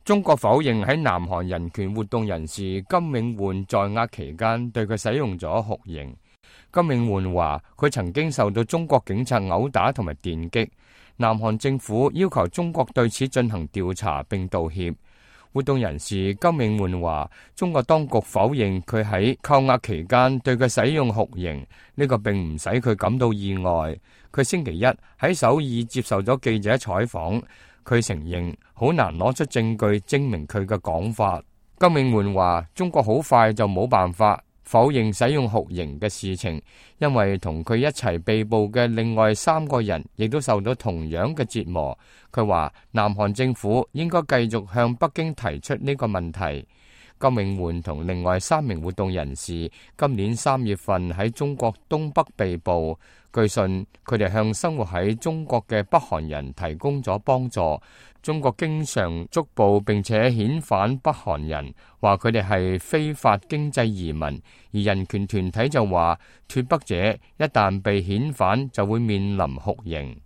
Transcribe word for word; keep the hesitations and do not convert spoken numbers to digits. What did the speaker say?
中國否認喺南韓人權活動人士金永煥在押期間對佢使用咗酷刑。金永煥話佢曾經受到中國警察毆打同埋電擊，南韓政府要求中國對此進行調查並道歉。活動人士金永煥話，中國當局否認佢喺扣押期間對佢使用酷刑，呢個並唔使佢感到意外。佢星期一喺首爾接受咗記者採訪。佢承認好難攞出證據證明佢嘅講法。金永煥話：中國好快就冇辦法否認使用酷刑嘅事情，因為同佢一齊被捕嘅另外三個人亦都受到同樣嘅折磨。佢話南韓政府應該繼續向北京提出呢個問題。金永煥同另外三名活動人士今年三月份喺中國東北被捕。據信佢哋向生活喺中國嘅北韓人提供咗幫助。中國經常捉捕並且遣返北韓人，話佢哋係非法經濟移民。而人權團體就話脫北者一旦被遣返就會面臨酷刑。